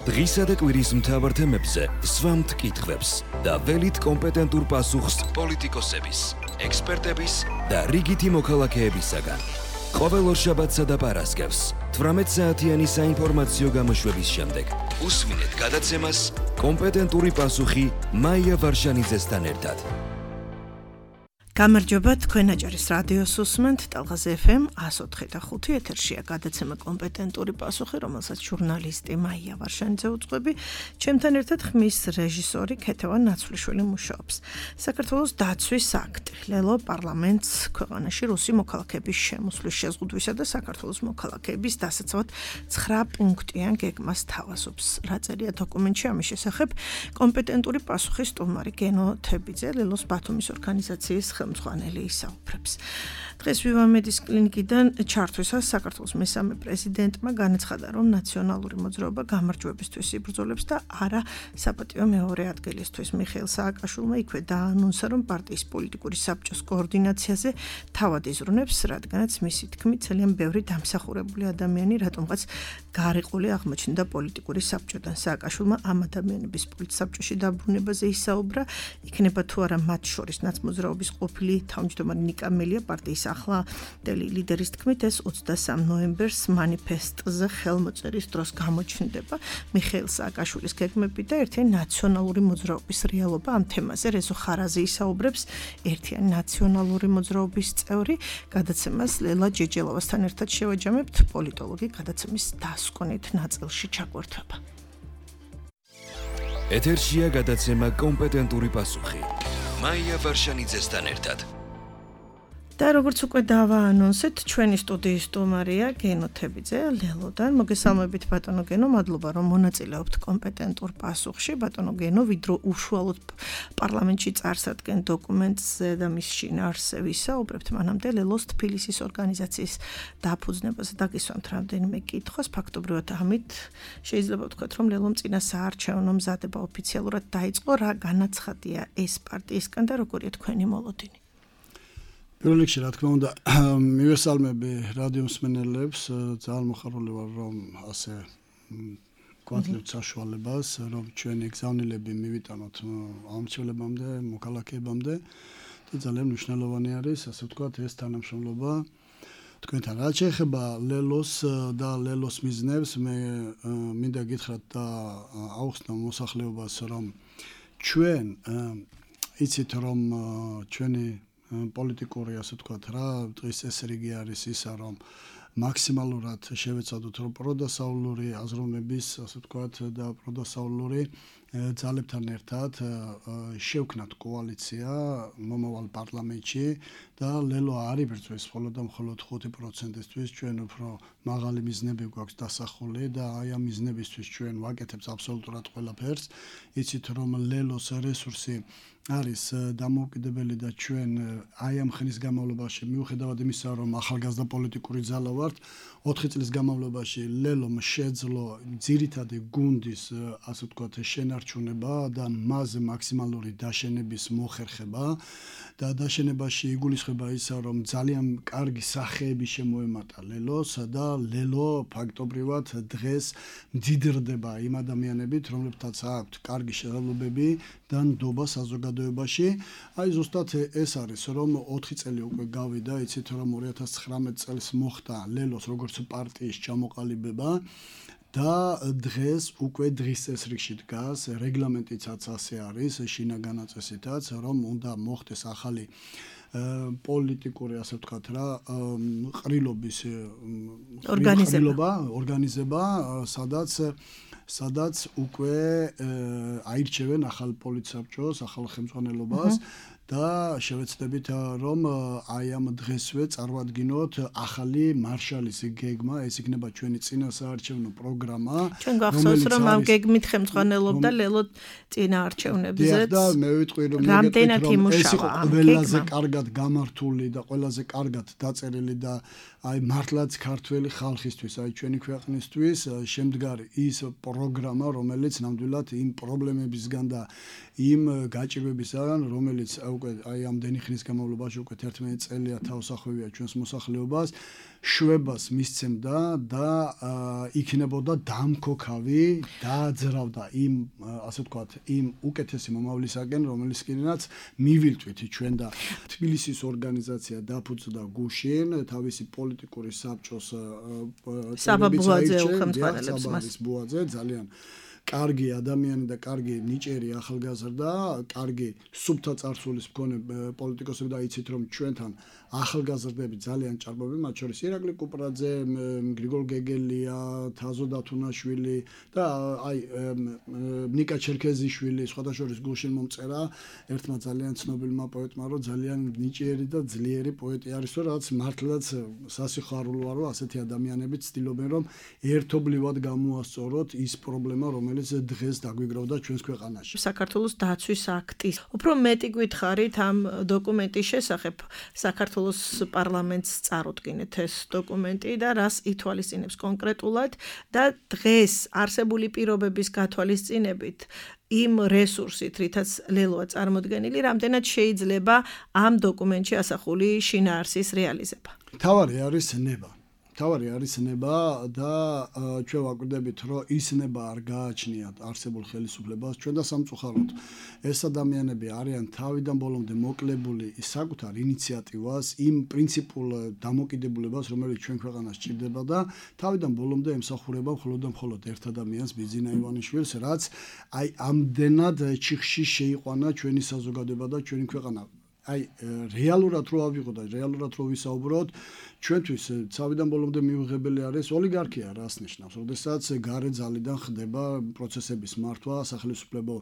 დღისა და კვირის მთავარ თემებზე სვამთ კითხვებს და ველით კომპეტენტურ პასუხს პოლიტიკოსების, ექსპერტების და რიგითი მოქალაქეებისაგან. ყოველ ორშაბათსა და პარასკევს 18 საათიანი საინფორმაციო გამოშვების შემდეგ უსმინეთ გადაცემას კომპეტენტური პასუხი მაია ვარშანიძესთან ერთად. გამარჯობა, თქვენ აჭარის რადიოს უსმენთ ტალღაზე FM 104.5 ეთერშია გადაცემა კომპეტენტური პასუხი, რომელსაც ჟურნალისტი მაია ვარშანიძე უძღვები, ჩემთან ერთად ხმის რეჟისორი ქეთევან ნაცვლიშვილი მუშაობს. საქართველოს დაცვის აქტი ლელო პარლამენტს ქვეყანაში რუსი მოქალაქეების შემოსვლის შეზღუდვისა და საქართველოს მოქალაქეების დასაცავად 9 პუნქტიან გეგმას თავაზობს. რა წერია დოკუმენტში ამის შესახებ? კომპეტენტური პასუხი სტუმარი გენო თებიძე, ლელოს ბათუმის ორგანიზაციის ხელმძღვანელი ისაუბრებს. დღეს ვივამედის კლინიკიდან ჩართვისას საქართველოს მესამე პრეზიდენტმა განაცხადა, რომ ნაციონალური მოძრაობა გამარჯვებისთვის იბრძოლებს და არა საპატიო მეორე ადგილისთვის. მიხეილ სააკაშვილმა იქვე დაანონსა, რომ პარტიის პოლიტიკური საბჭოს კოორდინაციაზე თავად იზრუნებს, რადგანაც მისი თქმით ძალიან ბევრი დამსახურებული ადამიანი რატომღაც გარიყული აღმოჩნდა პოლიტიკური საბჭოდან. სააკაშვილმა ამ ადამიანების პოლიტსაბჭოში დაბრუნებაზე ისაუბრა, იქნება თუ არა მათ შორის ნაცმოძრაობის ყოფილი თავმჯდომარე ნიკა მელია პარტიის ახლა ლიდერის თქმით ეს 23 ნოემბერს მანიფესტზე ხელმოწერის დროს გამოჩნდება. მიხეილ სააკაშვილის გეგმები და ერთიანი ნაციონალური მოძრაობის რეალობა. ამ თემაზე რეზო ხარაზი ისაუბრებს, ერთიანი ნაციონალური მოძრაობის წევრი. გადაცემას ლელა ჯეჯელოვასთან ერთად შევაჯამებთ. პოლიტოლოგი გადაცემის დასკვნით ნაწილში ჩაგვერთვება. ეთერშია გადაცემა კომპეტენტური პასუხი. მაია ვარშანიძესთან ერთად. და როგორც უკვე დავაანონსეთ, ჩვენი სტუდიის სტუმარია გენო თებიძე ლელოდან. მოგესალმებით ბატონო გენო, მადლობა რომ მონაწილეობთ კომპეტენტურ პასუხში. ბატონო გენო, ვიდრე უშუალოდ პარლამენტში წარსადგენ დოკუმენტზე და მის შინაარსზე ვისაუბრებთ, მანამდე ლელოს თბილისის ორგანიზაციის დაფუძნებაზე დაგისვამთ რამდენიმე კითხვას. ფაქტობრივად ამით შეიძლება ვთქვათ, რომ ლელომ წინა საარჩევნო მზადება ოფიციალურად დაიწყო. რა განაცხადია ეს პარტიისგან და როგორია თქვენი მოლოდინი? პირველ რიგში, რა თქმა უნდა, მივესალმები რადიო მსმენელებს, ძალიან მოხარული ვარ, რომ ასე გვაძლევთ საშუალებას, რომ ჩვენი გზავნილები მივიტანოთ ამცველებამდე, მოქალაქეებამდე და ძალიან მნიშვნელოვანი არის, ასე ვთქვათ, ეს თანამშრომლობა თქვენთან. რაც შეეხება ლელოს და ლელოს მიზნებს, მე მინდა გითხრათ და აუხსნა მოსახლეობას, რომ ჩვენ იცით, რომ ჩვენი პოლიტიკური, ასე ვთქვათ, რა დღის წესრიგი არის ისა, რომ მაქსიმალურად შევეცადოთ, რომ პროდასავლური აზროვნების, ასე ვთქვათ, და პროდასავლური ძალებთან ერთად შევქნათ კოალიცია მომავალ პარლამენტში და ლელო არ იბრძვის მხოლოდ და მხოლოდ 5%-ისთვის. ჩვენ უფრო მაღალი მიზნები გვაქვს დასახული და აი ამ მიზნებისთვის ჩვენ ვაკეთებთ აბსოლუტურად ყველაფერს. იცით, რომ ლელოს რესურსი არის დამოუკიდებელი და ჩვენ აი ამ ხნის განმავლობაში მიუხედავად იმისა, რომ ახალგაზრდა პოლიტიკური ძალა ვართ, 4 წლის განმავლობაში ლელომ შეძლო ძირითადი გუნდის, ასე ვთქვათ, შენარჩუნება და მასზე მაქსიმალური დაშენების მოხერხება და დაშენებაში იგულისხმება ისა, რომ ძალიან კარგი სახეები შემოემატა ლელოს და ლელო ფაქტობრივად დღეს მდიდრდება იმ ადამიანებით, რომლებთაც აქვთ კარგი შეღებებები და ნდობა საზოგადოებაში. აი ზუსტად ეს არის, რომ 4 წელი უკვე გავიდა, იცით, რომ 2019 წელს მოხდა ლელოს როგორც პარტიის ჩამოყალიბება და დღეს უკვე დღის წესრიგში დგას, რეგლამენტიცაც ასე არის, შინაგან წესითაც, რომ უნდა მოხდეს ახალი პოლიტიკური, ასე ვთქვათ, რა ყრილობის ორგანიზება, სადაც უკვე აირჩევენ ახალ პოლიტსაბჭოს, ახალ ხელმძღვანელობას და შევეცდებით, რომ აი ამ დღესვე წარვადგინოთ ახალი მარშალის გეგმა, ეს იქნება ჩვენი წინა საარჩევნო პროგრამა. ჩვენ გახსოვს, რომ ამ გეგმით ხელმძღვანელობდა ლელო წინა არჩევნებზე. და მე ვიტყვი, რომ ეს იყო ყველაზე კარგად გამართული და ყველაზე კარგად დაწერილი და აი მართლაც ქართველი ხალხისთვის, აი ჩვენი ქვეყნისთვის შემდგარი ის პროგრამა, რომელიც ნამდვილად იმ პრობლემებისგან და იმ გაჭირვებისგან, რომელიც უკვე აი ამდენი ხნის განმავლობაში უკვე 11 წელია თავს ახვევია ჩვენს მოსახლეობას, შვებას მისცემდა და იქნებოდა დამქოქავი, დააძრავდა იმ ასე ვთქვათ, იმ უკეთესი მომავლისაგან, რომელიც კიდაც მივილთვით ჩვენ და თბილისის ორგანიზაცია დაფუძნდა გუშინ თავისი პოლიტიკური საბჭოს საბაბუაძე უხელმძღვანელებს მას. ბუაძე ძალიან კარგი ადამიანი და კარგი ნიჭიერი ახალგაზრდა, კარგი სუფთა წარსულის მქონე პოლიტიკოსები და იცით რომ ჩვენთან ახალგაზრდები ძალიან ჭარბობენ, მათ შორის ირაკლი კუპრაძე, გრიგოლ გეგელია, თაზო დათუნაშვილი და აი ნიკა ჩერქეზიშვილი, სხვადასხვა გულშინ მომწერა ერთმა ძალიან ცნობილმა პოეტმა, რომ ძალიან ნიჭიერი და ძლიერი პოეტი არის, რაც მართლაც სასიხარულოა, რომ ასეთი ადამიანები ცდილობენ რომ ერთობლივად გამოასწოროთ ის პრობლემა, რომელიც დღეს დაგვიგროვდა ჩვენს ქვეყანაში. საქართველოს დაცვის აქტის უფრო მეტი გითხარით ამ დოკუმენტის შესახებ. საქართველოს პარლამენტს წარუდგინეთ ეს დოკუმენტი და რას ითვალისწინებს კონკრეტულად და დღეს არსებული პირობების გათვალისწინებით იმ რესურსით, რითაც ლელოა წარმოდგენილი, რამდენად შეიძლება ამ დოკუმენტში ასახული შინაარსის რეალიზება. თავარი არის ნება. თავარი არის ნება და ჩვენ ვაკვირდებით, რომ ის ნება არ გააჩნიათ არსებულ ხელისუფლებას ჩვენ და სამწუხაროდ. ეს ადამიანები არიან თავიდან ბოლომდე მოკლებული საკუთარ ინიციატივას, იმ პრინციპულ დამოკიდებულებას, რომელიც ჩვენ ქვეყანას ჭირდება და თავიდან ბოლომდე ემსახურება მხოლოდ და მხოლოდ ერთ ადამიანს, ბიძინა ივანიშვილს, რაც აი ამდენად ჩიხში შეიყვანა ჩვენი საზოგადოება და ჩვენი ქვეყანა. აი რეალურად რო ავიღო და რეალურად რო ვისაუბროთ, ჩვენთვის თავიდან ბოლომდე მიუღებელი არის ოლიგარქია, რას ნიშნავს, როდესაც გარე ძალიდან ხდება პროცესების მართვა, სახელმწიფო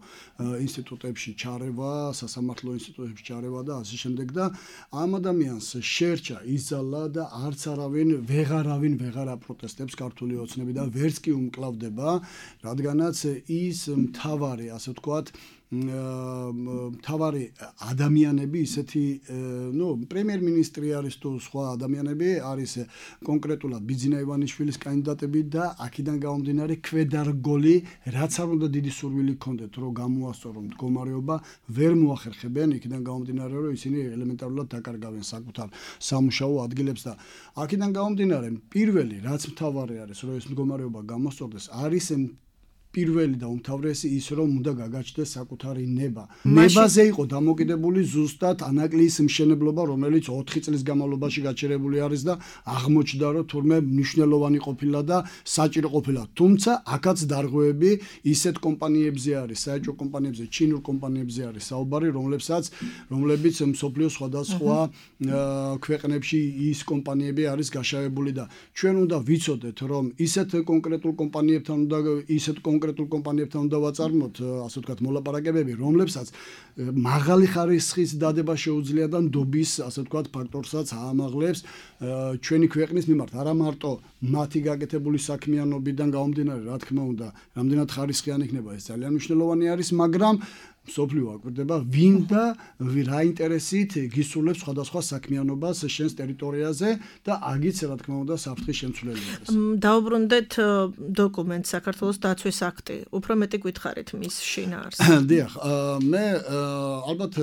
ინსტიტუტებში ჩარევა, სასამართლო ინსტიტუტებში ჩარევა და ასე შემდეგ და ამ ადამიანს შერჩა იზალა და არც არავინ ვეღარ აპროტესტებს ქართული ოცნები და ვერც კი უმკლავდება, რადგანაც ის მთავარი, ასე ვთქვათ, მთავარი ადამიანები ისეთი პრემიერ-მინისტრი არის თუ სხვა ადამიანები არის კონკრეტულად ბიძინა ივანიშვილის კანდიდატები და აქედან გამომდინარე ქვედარგოლი, რაც არ უნდა დიდი სურვილი ჰქონდეთ რომ გამოასწორონ მდგომარეობა, ვერ მოახერხებენ იქიდან გამომდინარე რომ ისინი ელემენტარულად დაკარგავენ საკუთარ სამუშაო ადგილებს და აქედან გამომდინარე პირველი რაც მთავარი არის რომ ეს მდგომარეობა გამოსწორდეს არის პირველი და უმთავრესი ის რომ უნდა გაგაჩნდეს საკუთარი ნება. ნებაზე იყო დამოკიდებული ზუსტად ანაკლიის მშენებლობა, რომელიც 4 წლის განმავლობაში გაჩერებული არის და აღმოჩნდა რომ თურმე მნიშვნელოვანი ყოფილა და საჭირო ყოფილა. თუმცა აქაც დარღვევები ისეთ კომპანიებზე არის, საეჭვო კომპანიებზე, ჩინურ კომპანიებზე არის საუბარი, რომლებიც მსოფლიოს სხვადასხვა ქვეყნებში ის კომპანიები არის გაშავებული და ჩვენ უნდა ვიცოდეთ რომ ისეთ კონკრეტულ კომპანიებთან უნდა კონკრეტულ კომპანიებთან უნდა ვაწარმოთ, ასე ვთქვათ, მოლაპარაკებები, რომლებსაც მაღალი ხარისხის დადება შეუძლია და ნდობის, ასე ვთქვათ, ფაქტორსაც აამაღლებს ჩვენი ქვეყნის მიმართ. არა მარტო მათი გაკეთებული საქმიანობიდან გამომდინარე, რა თქმა უნდა, რამდენად ხარისხიანი იქნება ეს ძალიან მნიშვნელოვანი არის, მაგრამ მსოფლიო აკვირდება ვინ და რა ინტერესით გისურვებს სხვადასხვა საქმიანობას შენს ტერიტორიაზე და აგიც რა თქმა უნდა საფრთხის შემცვლელი არის. დაუბრუნდეთ დოკუმენტს საქართველოს დაცვის აქტი. უფრო მეტი გითხარით მის შინაარსს. დიახ, მე ალბათ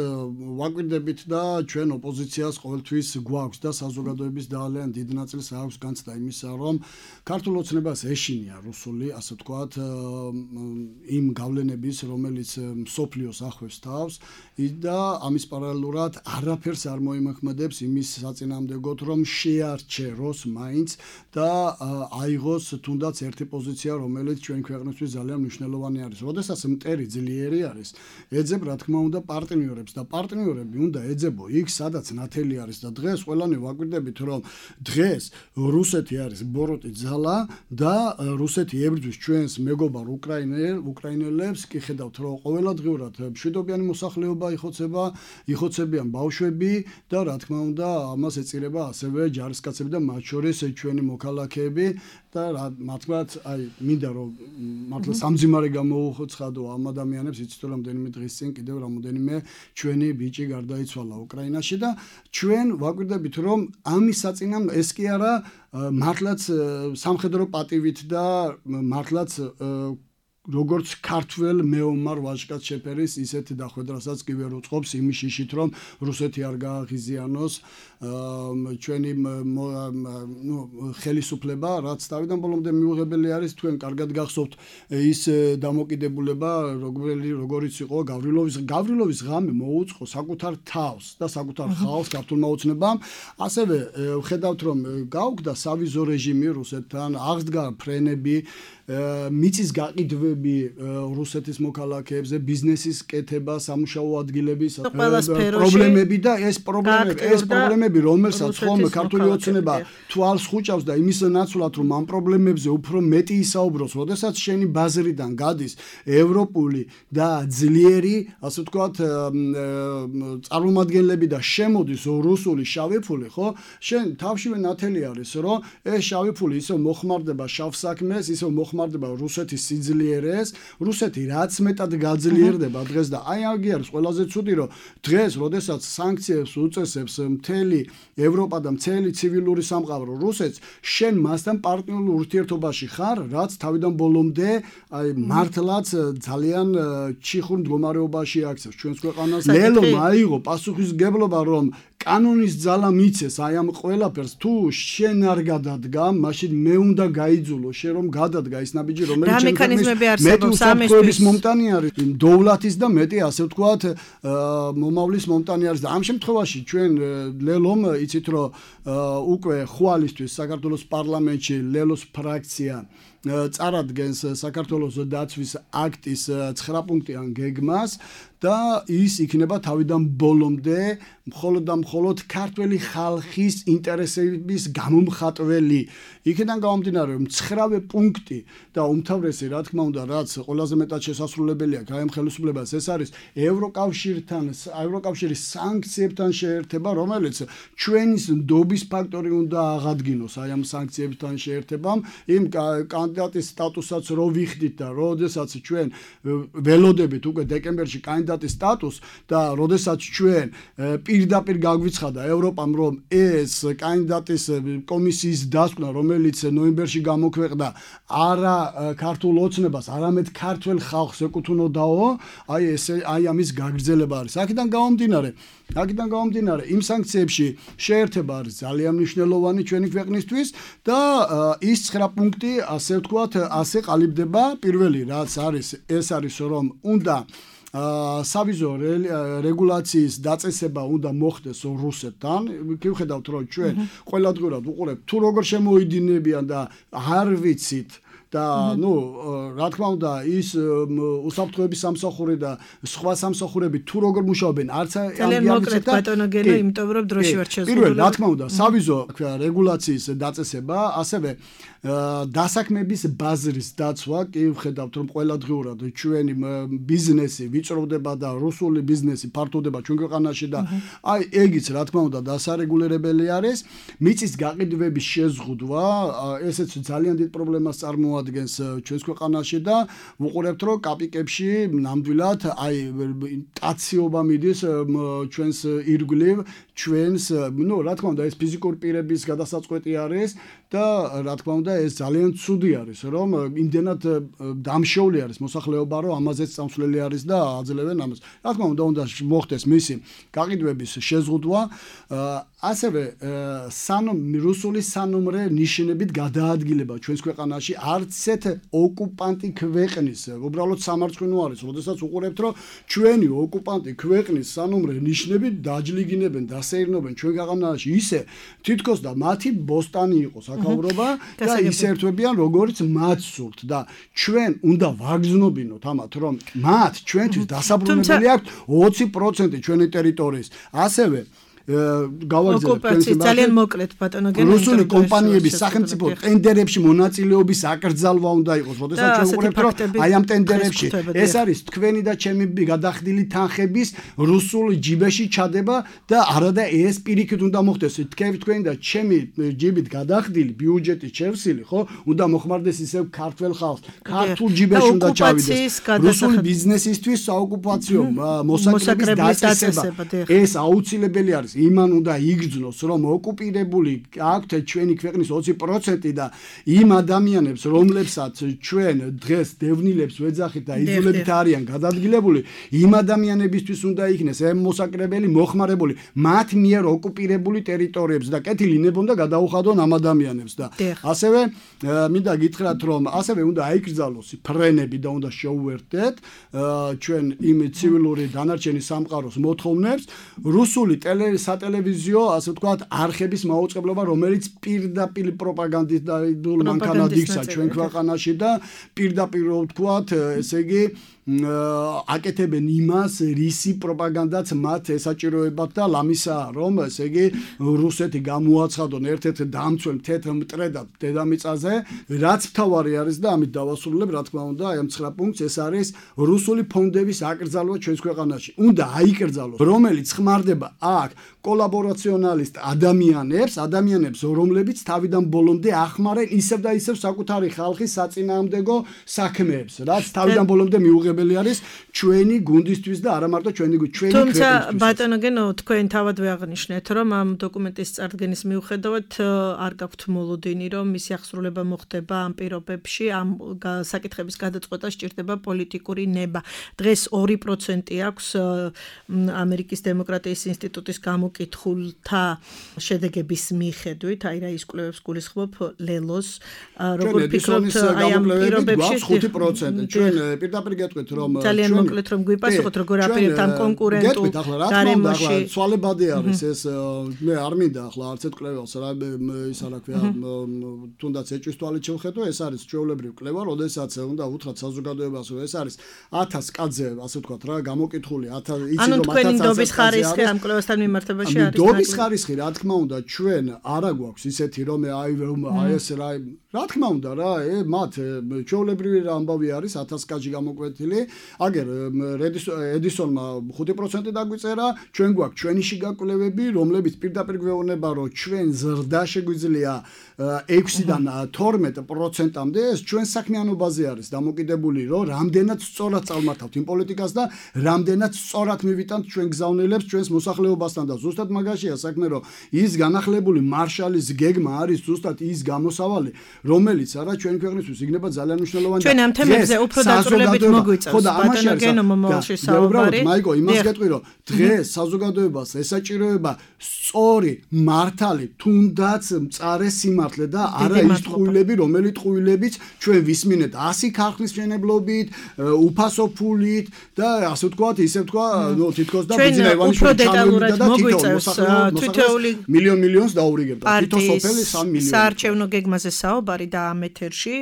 ვაკვირდებით და ჩვენ ოპოზიციას ყოველთვის გვაქვს და საზოგადოების ძალიან დიდ ნაწილს აქვს განცდა იმისა, რომ ქართულ ოცნებას ეშინია რუსული, ასე ვთქვათ, იმ გავლენების, რომელიც მსოფლიო ახავს თავს და ამის პარალელურად არაფერს არ მოიმოქმედებს იმის საწინააღმდეგოდ რომ შეარჩეროს მაინც და აიღოს თუნდაც ერთი პოზიცია რომელიც ჩვენი ქვეყნისთვის ძალიან მნიშვნელოვანი არის. როდესაც მტერი ძლიერი არის, ეძებ რა თქმა უნდა პარტნიორებს და პარტნიორები უნდა ეძებო იქ სადაც ნათელი არის და დღეს ყველანი ვაკვირდებით რომ დღეს რუსეთი არის ბოროტი ძალა და რუსეთი ებრძვის ჩვენს მეგობარ უკრაინელებს, კი ხედავთ რომ ყოველდღიურად მშვიდობიანი მოსახლეობა იხოცებიან ბავშვები და რა თქმა უნდა ამას ეწირება ასევე ჯარისკაცები და მათ შორის ჩვენი მოქალაქეები და მართლაც აი მინდა რომ მართლა სამძიმარე გამოუხოცხადო ამ ადამიანებს, იცით რომ რამდენიმე დღის წინ კიდევ რამოდენიმე ჩვენი ბიჭი გარდაიცვალა უკრაინაში და ჩვენ ვაკვირდებით რომ ამის საწინააღმდეგო ეს კი არა მართლაც სამხედრო პატივით და მართლაც როგორც ქართველ მეომარ ვაჟკაც შეფერის ისეთ დახვედრასაც კი ვერ უწყობს იმის შიშით რომ რუსეთი არ გააღიზიანოს ჩვენი ხელისუფლება რაც თავიდან ბოლომდე მიუღებელი არის თქვენ კარგად გახსოვთ ის დამოკიდებულება როგორიც იყო გავრილოვის ღამე მოუწყო საკუთარ თავს და საკუთარ ხალხს ქართულმა ოცნებამ ასევე ვხედავთ რომ გაუგდა სავიზო რეჟიმი რუსეთთან აღსდგა ფრენები მიწის გაყიდვები რუსეთის მოქალაქეებზე ბიზნესის კეთება სამუშაო ადგილების პრობლემები და ეს პრობლემები რომელსაც ხომ ქართული ოცნება თვალს ხუჭავს და იმის ნაცვლად რომ ამ პრობლემებზე უფრო მეტი ისაუბროს როდესაც შენი ბაზრიდან გადის ევროპული და ძლიერი ასე ვთქვათ წარმომადგენლები და შემოდის რუსული შავი ფული ხო შენ თავშივე ნათელი არის რომ ეს შავი ფული ისევ მოხმარდება შავ საქმეს ისევ მოხმარდება რუსეთის სიძლიერეს რუსეთი რაც მეტად გაძლიერდება დღეს და აი აგი არის ყველაზე ცუდი რომ დღეს როდესაც სანქციებს უწესებს მთელი ევროპა და მთელი ცივილური სამყარო რუსეთს შენ მასთან პარტნიორულ ურთიერთობაში ხარ რაც თავიდან ბოლომდე აი მართლაც ძალიან ჩიხურ მდგომარეობაში აქცევს ჩვენს ქვეყანას ლელომ აიღო პასუხისგებლობა რომ კანონის ძალა მიცეს აი ამ ყველაფერს თუ შენ არ გადადგა მაშინ მე უნდა გაიძულო შენ რომ გადადგა ის ნაბიჯი რომელიც მექანიზმები არსებობს ამისთვის მომტანი არის დოვლათის და მეტი ასე ვთქვათ მომავლის მომტანი არის და ამ შემთხვევაში ჩვენ ლელომ იცით რომ უკვე ხვალისთვის საქართველოს პარლამენტში ლელოს ფრაქცია წარადგენს საქართველოს დაცვის აქტის 9 პუნქტიან გეგმას და ის იქნება თავიდან ბოლომდე მხოლოდ და მხოლოდ ქართველი ხალხის ინტერესების გამომხატველი. იქიდან გამომდინარე რომ 9-ვე პუნქტი და უმთავრესი რა თქმა უნდა რაც ყველაზე მეტად შესაძლებელია გაემ ხელისუფლებას ეს არის ევროკავშირის სანქციებთან შეერთება რომელიც ჩვენის ნდობის ფაქტორი უნდა აღადგინოს აი ამ სანქციებთან შეერთებამ იმ კანდიდატის სტატუსაც რო ვიხდით და როდესაც ჩვენ ველოდებით უკვე დეკემბერში კანდიდატის სტატუსს და როდესაც ჩვენ პირდაპირ გაგვიცხადა ევროპამ რომ ეს კანდიდატის კომისიის დასკვნა რომელიც ნოემბერში გამოქვეყნდა არა ქართულ ოცნებას არამედ ქართველ ხალხს ეკუთვნოდაო აი ესე აი ამის გაგრძელება არის აქედან გამომდინარე იმ სანქციებში შეერთება არის ძალიან მნიშვნელოვანი ჩვენი ქვეყნისთვის და ის 9 პუნქტი ასე ვთქვათ ასე ყალიბდება პირველი რაც არის ეს არის რომ უნდა სავიზო რეგულაციის დაწესება უნდა მოხდეს რუსეთთან. Გიხედავთ რომ ჩვენ ყველადღურად უყურებთ თუ როგორ შემოიდინებიან და არ ვიცით და რა თქმა უნდა ის უსაფრთხოების სამსახური და სხვა სამსახურები თუ როგორ მუშაობენ არც ძალიან მოკლედ ბატონო გენო იმიტომ რომ დროში ვარ შეზღუდული. პირველ რა თქმა უნდა სავიზო რეგულაციის დაწესება ასევე დასაქმების ბაზრის დაცვა კი ვხედავთ რომ ყველადღურად ჩვენი ბიზნესი ვიწროვდება და რუსული ბიზნესი ფართოვდება ჩვენ ქვეყანაში და აი ეგიც რა თქმა უნდა დასარეგულირებელი არის მიწის გაყიდვების შეზღუდვა ესეც ძალიან დიდ პრობლემას წარმოადგენს ჩვენს ქვეყანაში და ვუყურებთ რომ კაპიკებში ნამდვილად აი ტაციობა მიდის ჩვენს ირგვლივ ჩვენს რა თქმა უნდა ეს ფიზიკური პირების გადასაწყვეტი არის და რა თქმა უნდა ეს ძალიან ცუდი არის რომ იმდენად დამშეული არის მოსახლეობა რომ ამაზეც წამსვლელი არის და აძლევენ ამას. რა თქმა უნდა მოხდეს მისი გაყიდვების შეზღუდვა ასევე რუსული სანომრე ნიშნებით გადაადგილება ჩვენს ქვეყანაში არც ერთ ოკუპანტი ქვეყნის უბრალოდ სამარცხვინო არის როდესაც უყურებთ რომ ჩვენი ოკუპანტი ქვეყნის სანომრე ნიშნებით დაჯლიგინებენ დასეირნობენ ჩვენ ქვეყანაში ისე თითქოს და მათი ბოსტანი იყოს აქაურობა და ისერთვებიან როგორც მათ სურთ და ჩვენ უნდა ვაგრძნობინოთ ამათ რომ მათ ჩვენთვის დასაბრუნებელი აქვს 20% ჩვენი ტერიტორიის ასევე ოკუპაციის ძალიან მოკლედ ბატონო გენო რუსული კომპანიების სახელმწიფო ტენდერებში მონაწილეობის აკრძალვა უნდა იყოს როდესაც ჩვენ ვუყურებთ რომ აი ამ ტენდერებში ეს არის თქვენი და ჩემი გადახდილი თანხების რუსულ ჯიბეში ჩადება და არადა ეს პირიქით უნდა მოხდეს თქვენი და ჩემი ჯიბით გადახდილი ბიუჯეტის შევსილი ხო უნდა მოხმარდეს ისევ ქართველ ხალხს ქართულ ჯიბეში უნდა ჩავიდეს რუსული ბიზნესისთვის საოკუპაციო მოსაკრების დაწესება ეს აუცილებელი არის იმან უნდა იგრძნოს, რომ ოკუპირებული აქვთ ჩვენი ქვეყნის 20% და იმ ადამიანებს, რომლებსაც ჩვენ დღეს დევნილებს ვეძახით და იძულებით არიან გადადგილებული, იმ ადამიანებისთვის უნდა იქნეს მოსაკრებელი, მოხმარებული მათ მიერ ოკუპირებული ტერიტორიებს და კეთილი ნებონდა გადაუხადონ ამ ადამიანებს და ასევე მინდა გითხრათ, რომ ასევე უნდა აიკრძალოს ფრენები და უნდა შეუერთდეთ ჩვენ იმ ცივილური დანარჩენი სამყაროს მოთხოვნებს რუსული სატელევიზიო, ასე ვთქვათ, არხების მაუწყებლობა, რომელიც პირდაპირ პროპაგანდისტულ მანქანად იქცა ჩვენ ქვეყანაში და პირდაპირ ვთქვათ, ესე იგი აკეთებენ იმას, რისი პროპაგანდაც მათ ესაჭიროებათ და ლამისაა, რომ ესე იგი რუსეთი გამოაცხადონ ერთ-ერთ დამცველ თეთრ მტრედად დედამიწაზე, რაც მთავარი არის და ამით დავასრულებ, რა თქმა უნდა, აი ამ 9 პუნქტს, ეს არის რუსული ფონდების აკრძალვა ჩვენს ქვეყანაში. უნდა აიკრძალოს, რომელიც ხმარდება აქ კოლაბორაციონალისტ ადამიანებს, რომლებიც თავიდან ბოლომდე ახმარენ ისევ და ისევ საკუთარი ხალხის საწინააღმდეგო საქმეებს, რაც თავიდან ბოლომდე მიუღებელი არის ჩვენი გუნდისთვის და არა მარტო ჩვენი ქვეყნისთვის. თუმცა ბატონო გენო, თქვენ თავადვე აღნიშნეთ, რომ ამ დოკუმენტის წარდგენის მიუხედავად არ გაქვთ მოლოდინი, რომ მისი აღსრულება მოხდება ამ პირობებში, ამ საკითხების გადაწყვეტა სჭირდება პოლიტიკური ნება. დღეს 2% აქვს ამერიკის დემოკრატიის ინსტიტუტის გამოკითხულთა შედეგების მიხედვით, აი რა ის კვლევებს გულისხმობ ლელოს, როგორ ფიქრობთ აი ამ პირობებში 5%. ჩვენ პირდაპირ გეტყვით, რომ ძალიან მოკლედ რომ გვიპასუხოთ, როგორ აპირებთ ამ კონკურენტულ გარემოში. ცვალებადი არის ეს, მე არ მინდა ახლა არც ერთ კვლევას რა ის არა ქვია, თუნდაც ეჭვის თვალით შევხედო, ეს არის ჩვეულებრივი კვლევა, როდესაც უნდა უთხრათ საზოგადოებას, რომ ეს არის 1000 კაცზე, ასე ვთქვათ რა, გამოკითხული 1000 იცი რომ 1000 თქვენი ნდობის ხარისხი ამ კვლევასთან მიმართებაში არის. ნდობის ხარისხი, რა თქმა უნდა, ჩვენ არა გვაქვს ისეთი რომ აი ეს რა თქმა უნდა რა, მათ ჩვეულებრივი ამბავი არის 1000 კაცი გამოკვეთილი. აგერ ედისონმა 5% დაგვიწერა, ჩვენ გვაქვს ჩვენი შიგაკვლევები, რომლებიც პირდაპირ გვეუბნება, რომ ჩვენ ზრდა შეგვიძლია 6-დან 12%-მდე, ეს ჩვენ საქმიანობაზე არის დამოკიდებული, რომ რამდენად სწორად წავმართავთ იმ პოლიტიკას და რამდენად სწორად მივიტანთ ჩვენ გზავნილებს ჩვენს მოსახლეობასთან და ზუსტად მაგაშია საქმე, რომ ის განახლებული მარშალის გეგმა არის ზუსტად ის გამოსავალი, რომელიც არა ჩვენ ქვეყნისთვის იქნება ძალიან მნიშვნელოვანი. ჩვენ ამ თემებზე უფრო დაწვრილებით მოგვიწევს. ბატონო გენო მომავალში საუბარი. მაიგო, იმას გეტყვი, რომ დღეს საზოგადოებას ესაჭიროება სწორი მართალი, თუნდაც მწარე სიმართლე და არა ის ტყუილები, რომელიც ტყუილებიც ჩვენ ვისმინეთ 100 ქარხნის მშენებლობით, უფასო ფულით და ასე ვთქვათ, ისე ვთქვა, თითქოს და ბიზნესმენი უფრო დეტალურად მოგვიწევს თითოეული მილიონს დაურიგებდა. თითო სოფელი 3 მილიონი. საარჩევნო გეგმაზე საუბარი და ამ ეთერში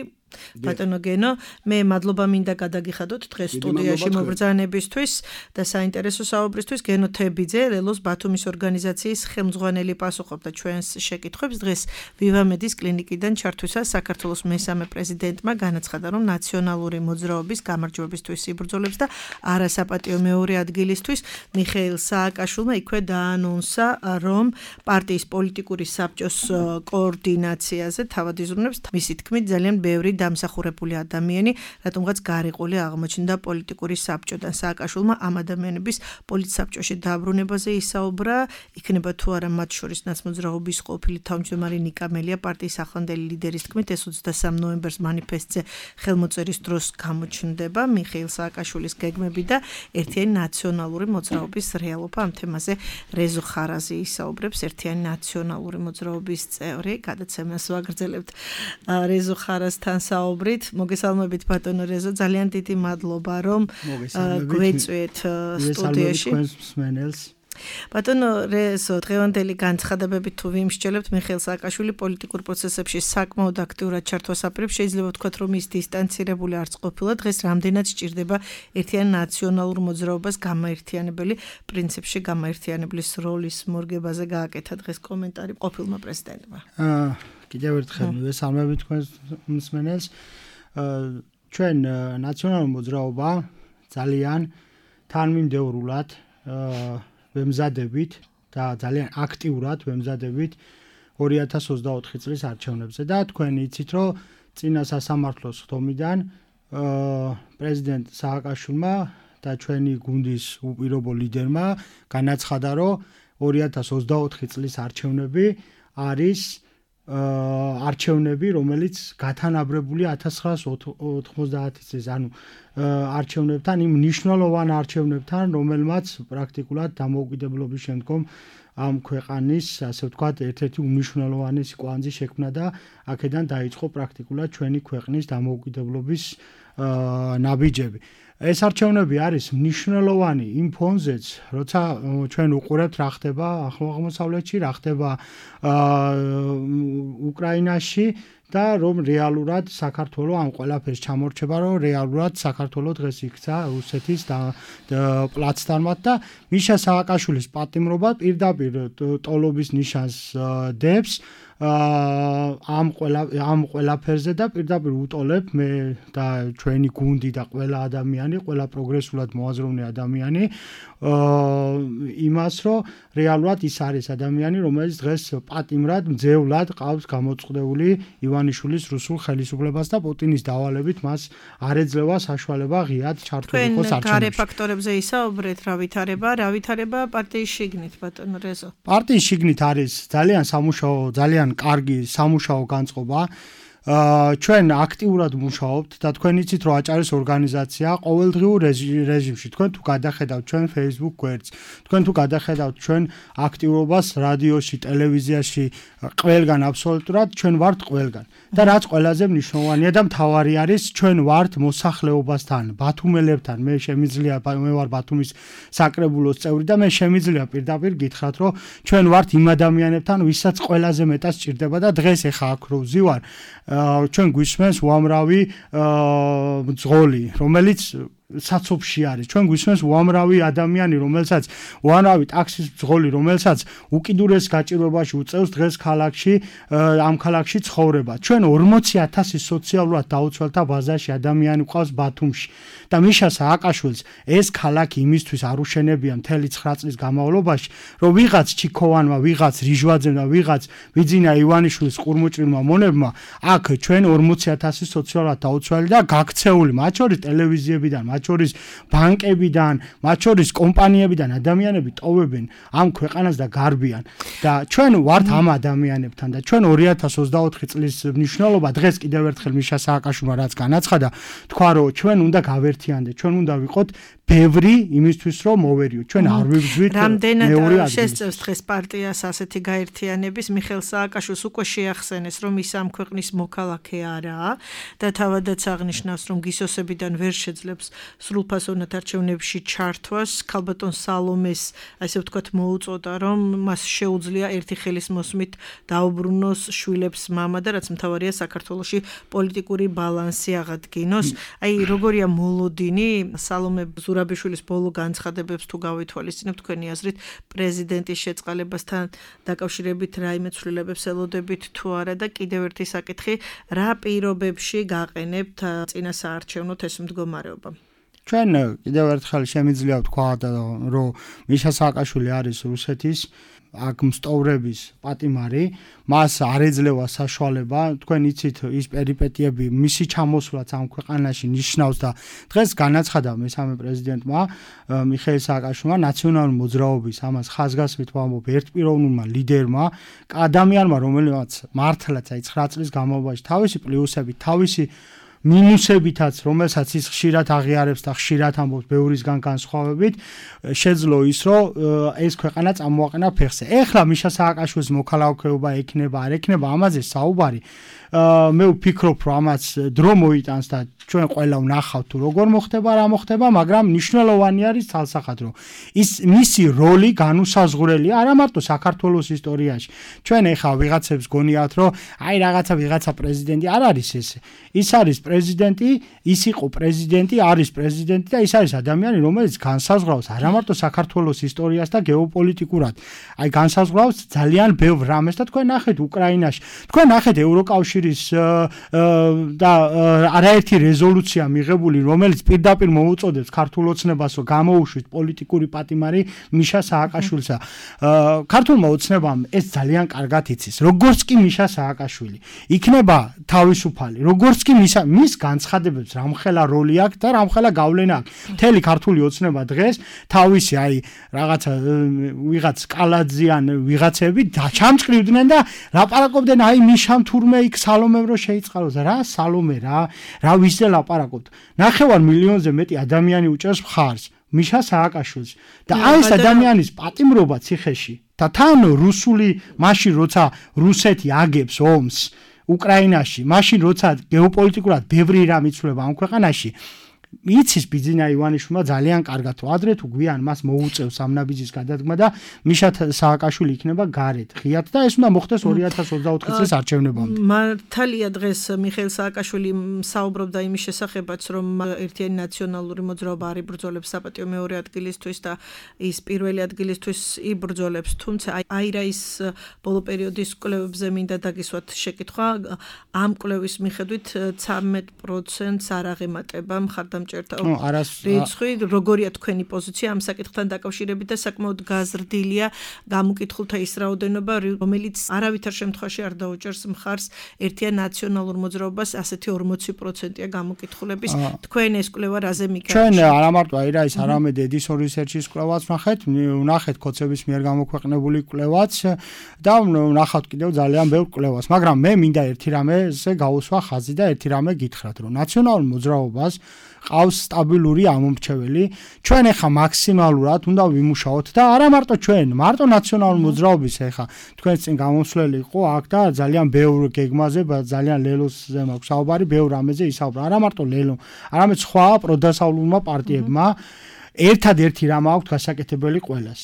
ბატონო გენო, მე მადლობა მინდა გადაგიხადოთ დღეს სტუდიაში მობრძანებისთვის და საინტერესო საუბრისთვის. გენო თებიძე, ლელოს ბათუმის ორგანიზაციის ხელმძღვანელი პასუხობდა ჩვენს შეკითხვებს. დღეს ვივამედის კლინიკიდან ჩართვისას საქართველოს მესამე პრეზიდენტმა განაცხადა, რომ ნაციონალური მოძრაობის გამარჯვებისთვის იბრძოლებს და არასაპატიო მეორე ადგილისთვის. მიხეილ სააკაშვილმა იქვე დაანონსა, რომ პარტიის პოლიტიკური საბჭოს კოორდინაციაზე თავად იზრუნებს. მისი თქმით, ძალიან ბევრი დამსახურებული ადამიანი, რატომღაც გარიყული აღმოჩნდა პოლიტიკური საბჭოდან. სააკაშვილმა ამ ადამიანების პოლიტსაბჭოში დაბრუნებაზე ისაუბრა, იქნება თუ არა მათ შორის ნაცმოძრაობის ყოფილი თავმჯდომარე ნიკა მელია პარტიის ახლანდელი ლიდერის თქმით, ეს 23 ნოემბერს მანიფესტზე ხელმოწერის დროს გამოჩნდება. მიხეილ სააკაშვილის გეგმები და ერთიანი ნაციონალური მოძრაობის რეალობა. ამ თემაზე რეზო ხარაზი ისაუბრებს, ერთიანი ნაციონალური მოძრაობის წევრი. გადაცემას ვაგრძელებთ რეზო ხარაზთან საუბრით. მოგესალმებით ბატონო რეზო, ძალიან დიდი მადლობა რომ გვეწვიეთ სტუდიაში. ბატონო რეზო, დღევანდელი განცხადებებით თუ ვიმსჯელებთ, მიხეილ სააკაშვილი პოლიტიკურ პროცესებში საკმაოდ აქტიურად ჩართვას აპირებს. შეიძლება ვთქვათ, რომ ის დისტანცირებული არც ყოფილა. დღეს რამდენად სჭირდება ერთიან ნაციონალურ მოძრაობას გამაერთიანებელი პრინციპში გამაერთიანებლის როლის მორგებაზე გააკეთა დღეს კომენტარი ყოფილმა პრეზიდენტმა. კიდევ ერთხელ მივესალმებით თქვენს მსმენელს. ჩვენ ნაციონალური მოძრაობა ძალიან თანმიმდევრულად ვემზადებით და ძალიან აქტიურად ვემზადებით 2024 წლის არჩევნებზე და თქვენ იცით, რომ წინა სასამართლოს ხდომიდან პრეზიდენტ სააკაშვილმა და ჩვენი გუნდის უპირობო ლიდერმა განაცხადა, რომ 2024 წლის არჩევნები არის არჩევნები, რომელიც გათანაბრებული 1990 წლის, ანუ არჩევნებთან, იმ მნიშვნელოვან არჩევნებთან, რომელმაც პრაქტიკულად დამოუკიდებლობის შემდგომ ამ ქვეყანის, ასე ვთქვათ, ერთ-ერთი უმნიშვნელოვანესი კვანძი შექმნა და აქედან დაიწყო პრაქტიკულად ჩვენი ქვეყნის დამოუკიდებლობის ნაბიჯები. ეს არჩევნები არის მნიშვნელოვანი იმ ფონზეც, როცა ჩვენ უყურებთ რა ხდება აღმოსავლეთში, რა ხდება უკრაინაში და რომ რეალურად საქართველოს ამ ყველაფერს ჩამორჩება, რომ რეალურად საქართველოს დღეს იქცა რუსეთის პლაცდარმად და მიშა სააკაშვილის პატიმრობა პირდაპირ ტოლობის ნიშანს დებს ამ ყველაფერზე და პირდაპირ უტოლებ მე და ჩვენი გუნდი და ყველა ადამიანი, ყველა პროგრესულად მოაზროვნე ადამიანი იმას, რომ რეალურად ის არის ადამიანი, რომელიც დღეს პატიმრად, მძევლად ყავს გამოწყდეული ივანიშვილის რუსულ ხელისუფლებას და პუტინის დავალებით მას არ ეძლევა საშუალება ღიად ჩართულიყოს არჩევნებში. თქვენ გარე ფაქტორებზე ისაუბრეთ, რა ვითარება პარტიის შიგნით, ბატონო რეზო. პარტიის შიგნით არის ძალიან კარგი სამუშაო განწყობა. ჩვენ აქტიურად მუშაობთ და თქვენ იცით რომ აჭარის ორგანიზაცია ყოველდღიურ რეჟიმში თქვენ თუ გადახედავთ ჩვენ Facebook გვერდს თქვენ თუ გადახედავთ ჩვენ აქტიურობას რადიოში, ტელევიზიაში ყველგან აბსოლუტურად ჩვენ ვართ ყველგან და რაც ყველაზე მნიშვნელოვანია და მთავარი არის ჩვენ ვართ მოსახლეობასთან, ბათუმელებთან. მე ვარ ბათუმის საკრებულოს წევრი და მე შემიძლია პირდაპირ გითხრათ რომ ჩვენ ვართ იმ ადამიანებთან ვისაც ყველაზე მეტად სჭირდება და დღეს ეხა აქ რო ვზივარ ჩვენ გვისმენს უამრავი მძღოლი, რომელიც საცობში არის. ჩვენ გვისმენს უამრავი ადამიანი, რომელსაც უამრავი ტაქსის მძღოლი, რომელსაც უკიდურეს გაჭირვებაში უწევს დღეს ქალაქში, ამ ქალაქში ცხოვრება. ჩვენ 40,000 სოციალურად დაუცველთა ბაზაში ადამიანი ყავს ბათუმში და მიშა სააკაშვილს ეს ქალაქი იმისთვის არ უშენებია მთელი 9 წლის განმავლობაში, რომ ვიღაც ჩიქოვანმა, ვიღაც რიჟვაძემ და ვიღაც ვიძინა ივანიშვილის ყურმუჭრილმა მონებმა აქ ჩვენ 40,000 სოციალურად დაუცველი და გაქცეული, მათ შორის ტელევიზიებიდან, მათ შორის ბანკებიდან, მათ შორის კომპანიებიდან ადამიანები ტოვებენ ამ ქვეყანას და გარბიან და ჩვენ ვართ ამ ადამიანებთან და ჩვენ 2024 წლის მნიშვნელობა დღეს კიდევ ერთხელ მიშა სააკაშვილმა რაც განაცხადა, თქვა რომ ჩვენ უნდა გავერთიანდეთ, ჩვენ უნდა ვიყოთ ბევრი იმისთვის რომ მოვერიოთ. ჩვენ არ ვიბრძვით მეორე ადგილს. შესწევს დღეს პარტიას ასეთი გაერთიანების მიხეილ სააკაშვილს უკვე შეახსენეს რომ ის ამ ქვეყნის მოქალაქე არაა და თავადაც აღნიშნავს რომ გისოსებიდან ვერ შეძლებს სრულფასოვნად არჩევნებში ჩართვას. ქალბატონ სალომეს ასე ვთქვათ მოუწოდა რომ მას შეუძლია ერთი ხელის მოსმით დაუბრუნოს შვილებს მამა და რაც მთავარია საქართველოში პოლიტიკური ბალანსი აღადგინოს. აი როგორია მოლოდინი სალომე ზურაბიშვილის ბოლო განცხადებებს თუ გავითვალისწინებთ თქვენი აზრით პრეზიდენტის შეწყალებასთან დაკავშირებით რაიმე ცვლილებებს ელოდებით თუ არა და კიდევ ერთი საკითხი რა პირობებში გაყენებთ წინა საარჩევნოთ ეს მდგომარეობა. ჩვენ კიდევ ერთხელ შემიძლია ვთქვა რომ მიშა სააკაშვილი არის რუსეთის აქ მსტოვრების პატიმარი, მას არ ეძლევა საშუალება, თქვენ იცით ის პერიპეტიები, მისი ჩამოსვლაც ამ ქვეყანაში ნიშნავს და დღეს განაცხადა მესამე პრეზიდენტმა მიხეილ სააკაშვილმა ნაციონალური მოძრაობის ამას ხაზგასმით ვამბობ ერთპიროვნულმა ლიდერმა, ადამიანმა, რომელმაც მართლაც აი 9 წლის განმავლობაში თავისი პლუსები, თავისი მინუსებითაც, რომელსაც ის ხშირად აღიარებს და ხშირად ამბობს ბევრისგან განსხვავებით, შეძლო ის, რომ ეს ქვეყანა წამოაყენა ფეხზე. ეხლა მიშა სააკაშვილის მოქალაქეობა ექნება, არ ექნება, ამაზე საუბარი. მე ვფიქრობ, რომ ამაც დრო მოიტანს და ჩვენ ყველა ვნახავთ თუ როგორ მოხდება, რა მოხდება, მაგრამ მნიშვნელოვანი არის თალსახად, რომ ის მისი როლი განუსაზღვრელია არა მარტო საქართველოს ისტორიაში. ჩვენ ეხლა ვიღაცებს გონიათ, რომ აი რაღაცა ვიღაცა პრეზიდენტი არ არის ეს. ის არის პრეზიდენტი, ის იყო პრეზიდენტი, არის პრეზიდენტი და ის არის ადამიანი, რომელიც განსაზღვრავს არა მარტო საქართველოს ისტორიას და გეოპოლიტიკურად. აი განსაზღვრავს ძალიან ბევრ რამეს და თქვენ ნახეთ უკრაინაში. თქვენ ნახეთ ევროკავშირის და არაერთი რეზოლუცია მიღებული, რომელიც პირდაპირ მოუწოდებს ქართულ ოცნებას, რომ გამოუშვით პოლიტიკური პატიმარი მიშა სააკაშვილსა. ქართულმა ოცნებამ ეს ძალიან კარგად იცის. როგორც კი მიშა სააკაშვილი იქნება თავისუფალი, როგორც კი მის განცხადებებს რამხელა როლი აქვს და რამხელა გავლენა აქვს. მთელი ქართული ოცნება დღეს თავისი რაღაცა ვიღაც კალაძიან ვიღაცები ჩამწყრივდნენ და ლაპარაკობდნენ მიშამ თურმე იქ სალომემ რო შეიწყალოს რა სალომე რა ვისზე ლაპარაკობთ. 9 მილიონზე მეტი ადამიანი უჭერს მხარს მიშა სააკაშვილს და ეს ადამიანის პატიმრობა ციხეში და თან რუსული მაშინ როცა რუსეთი აგებს ომს უკრაინაში მაშინ როცა გეოპოლიტიკურად ბევრი რამ იცვლება ამ ქვეყანაში იცის ბიძინა ივანიშვილმა ძალიან კარგად ადრე თუ გვიან მას მოუწევს სამნაბიძის გადადგმა და მიშა სააკაშვილი იქნება გარეთ ღიად და ეს უნდა მოხდეს 2024 წლის არჩევნებამდე. მართალია დღეს მიხეილ სააკაშვილი საუბრობდა იმის შესახებაც რომ ერთიანი ნაციონალური მოძრაობა არ იბრძოლებს საპატიო მეორე ადგილისთვის და ის პირველი ადგილისთვის იბრძოლებს თუმცა აირაის ბოლო პერიოდის კვლევებზე მინდა დაგისვათ შეკითხვა ამ კვლევის მიხედვით 13%-ს არ აღემატება მხარდამჭერთა რიცხვი როგორია თქვენი პოზიცია ამ საკითხთან დაკავშირებით და საკმაოდ გაზრდილია გამოკითხულთა ის რაოდენობა რომელიც არავითარ შემთხვევაში არ დაუჭერს მხარს ერთიან ნაციონალურ მოძრაობას ასეთი 40%-ია გამოკითხულების თქვენ ეს კვლევა რაზე მიგაჩნია ჩვენ არა მარტო აირაის არამედ ედისონ რისერჩის კვლევაც ვნახეთ კოცების მიერ გამოქვეყნებული კვლევაც და ვნახავთ კიდევ ძალიან ბევრ კვლევას მაგრამ მე მინდა ერთი რამეზე გავუსვა ხაზი და ერთი რამე გითხრათ რომ ნაციონალურ მოძრაობას ყავს სტაბილური ამომრჩეველი ჩვენ ახლა მაქსიმალურად უნდა ვიმუშაოთ და არა მარტო ჩვენ მარტო ნაციონალური მოძრაობის ახლა თქვენს წინ გამოსვლელი იყო აქ და ძალიან ბევრ გეგმაზე ძალიან ლელოსზე მაქვს საუბარი ბევრ რამეზე ისაუბრა არა მარტო ლელო არამედ სხვა პროდასავლურმა პარტიებმა ერთადერთი რამ აქვს გასაკეთებელი ყველას.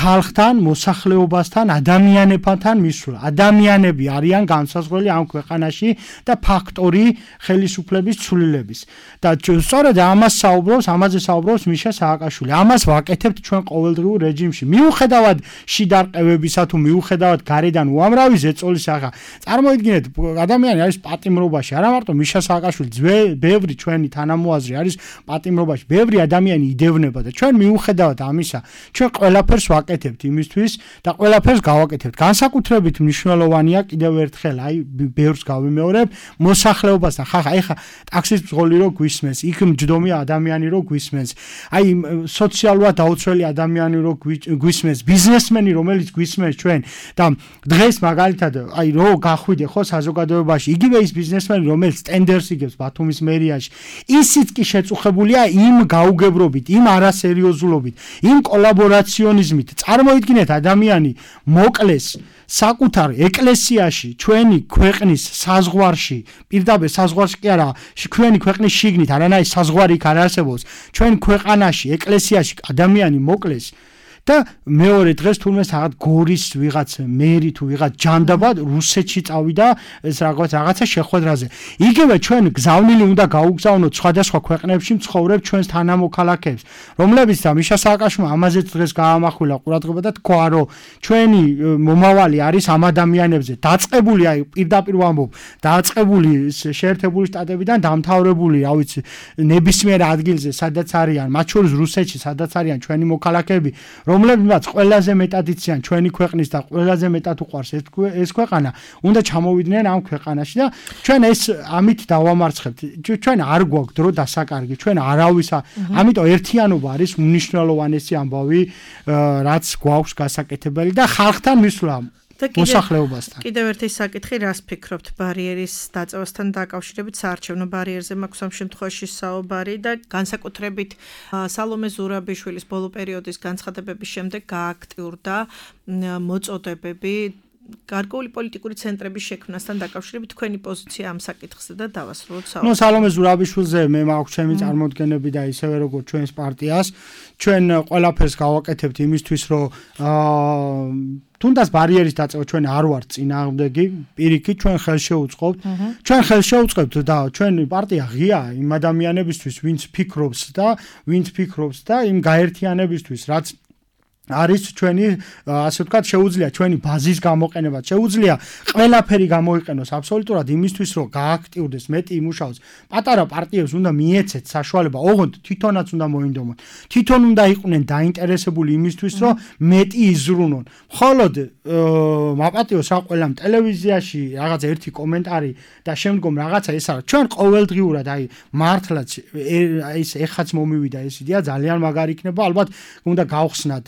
ხალხთან, მოსახლეობასთან, ადამიანებთან მისვლა. ადამიანები არიან განსაზღვრელი ამ ქვეყანაში და ფაქტორი ხელისუფლების ცვლილების. და სწორედ ამაზე საუბრობს მიშა სააკაშვილი. ამას ვაკეთებთ ჩვენ ყოველდღიურ რეჟიმში. მიუხედავად შიდარყევებისა თუ მიუხედავად გარედან უამრავი ზეწოლის ახლა. წარმოიდგინეთ, ადამიანი არის პატიმრობაში, არა მარტო მიშა სააკაშვილი, ბევრი ჩვენი თანამოაზრი არის პატიმრობაში. ბევრი ადამიანი იდევნება და ჩვენ მიუხედავად ამისა ჩვენ ყველაფერს ვაკეთებთ იმისთვის და ყველაფერს გავაკეთებთ. განსაკუთრებით მნიშვნელოვანია კიდევ ერთხელ ბევრს გავიმეორებ მოსახლეობასთან. ხახა ტაქსის მძღოლი რო გვისმენს, იქ მჯდომი ადამიანი რო გვისმენს, სოციალურად დაუცველი ადამიანი რო გვისმენს, ბიზნესმენი რომელიც გვისმენს ჩვენ და დღეს მაგალითად რო გახვიდე ხო საზოგადოებაში იგივე ის ბიზნესმენი რომელიც ტენდერს იგებს ბათუმის მერიაში ისიც კი შეწუხებულია იმ გაუგებრობით იმ არასერიოზულობით, იმ კოლაბორაციონიზმით. წარმოიდგინეთ ადამიანი მოკლეს საკუთარ ეკლესიაში, ჩვენი ქვეყნის საზღვარში, პირდაპირ საზღვარში კი არა, ჩვენი ქვეყნის შიგნით, არანაირი საზღვარი იქ არ არსებობს. ჩვენ ქვეყანაში, ეკლესიაში ადამიანი მოკლეს და მეორე დღეს თურმე რაღაც გორის ვიღაც მერი თუ ვიღაც ჯანდაბა რუსეთში წავიდა ეს რაღაცა შეხვედრაზე. იგივე ჩვენ გზავნილი უნდა გაუგზავნოთ სხვადასხვა ქვეყნებში მცხოვრებ ჩვენს თანამოქალაქეებს, რომლებიც და მიშა სააკაშვილმა ამაზეც დღეს გაამახვილა ყურადღება და თქვა, რომ ჩვენი მომავალი არის ამ ადამიანებზე დაწყებული, პირდაპირ ვამბობ, დაწყებული შეერთებული შტატებიდან დამთავრებული, ნებისმიერ ადგილზე, სადაც არიან, მათ შორის რუსეთში, სადაც არიან ჩვენი მოქალაქეები, რომლებიც ყველაზე მეტად იციან ჩვენი ქვეყნის და ყველაზე მეტად უყვარს ეს ქვეყანა, უნდა ჩამოვიდნენ ამ ქვეყანაში და ჩვენ ეს ამით დავამარცხებთ. ჩვენ არ გვაქვს დრო დასაკარგი, ჩვენ არავის, ამიტომ ერთიანობა არის უმნიშვნელოვანესი ამბავი, რაც გვაქვს გასაკეთებელი და ხალხთან მისვლა. მოსახლეობასთან. კიდევ ერთი საკითხი, რას ფიქრობთ ბარიერის დაწევასთან დაკავშირებით, საარჩევნო ბარიერზე მაქვს ამ შემთხვევაში საუბარი და განსაკუთრებით სალომე ზურაბიშვილის ბოლო პერიოდის განცხადებების შემდეგ გააქტიურდა მოწოდებები გარკვეული პოლიტიკური ცენტრების შექმნასთან დაკავშირებით. თქვენი პოზიცია ამ საკითხზე და დავასრულოთ საუბარი. სალომე ზურაბიშვილზე მე მაქვს ჩემი წარმოდგენები და ისევე როგორც ჩვენს პარტიას, ჩვენ ყველაფერს გავაკეთებთ იმისთვის, რომ თუნდაც ბარიერის დაწევა ჩვენ არ ვართ წინააღმდეგი, პირიქით ჩვენ ხელს შევუწყობთ. ჩვენ ხელს შევუწყებთ და ჩვენი პარტია ღია იმ ადამიანებისთვის, ვინც ფიქრობს და იმ გაერთიანებისთვის, რაც არის ჩვენი ასე ვთქვათ შეუძლია ჩვენი ბაზის გამოყენება შეუძლია ყველაფერი გამოიყენოს აბსოლუტურად იმისთვის რომ გააქტიურდეს მეტი იმუშაოს პატარა პარტიებს უნდა მიეცეთ საშუალება ოღონდ თვითონაც უნდა მოინდომონ თვითონ უნდა იყვნენ დაინტერესებული იმისთვის რომ მეტი იზრუნონ მხოლოდ მაპატიოს რა ყველამ ტელევიზიაში რაღაც ერთი კომენტარი და შემდგომ რაღაცა ეს არა ჩვენ ყოველდღიურად აი მართლაც აი ეს ეხაც მომივიდა ეს იდეა ძალიან მაგარი იქნება ალბათ უნდა გავხსნათ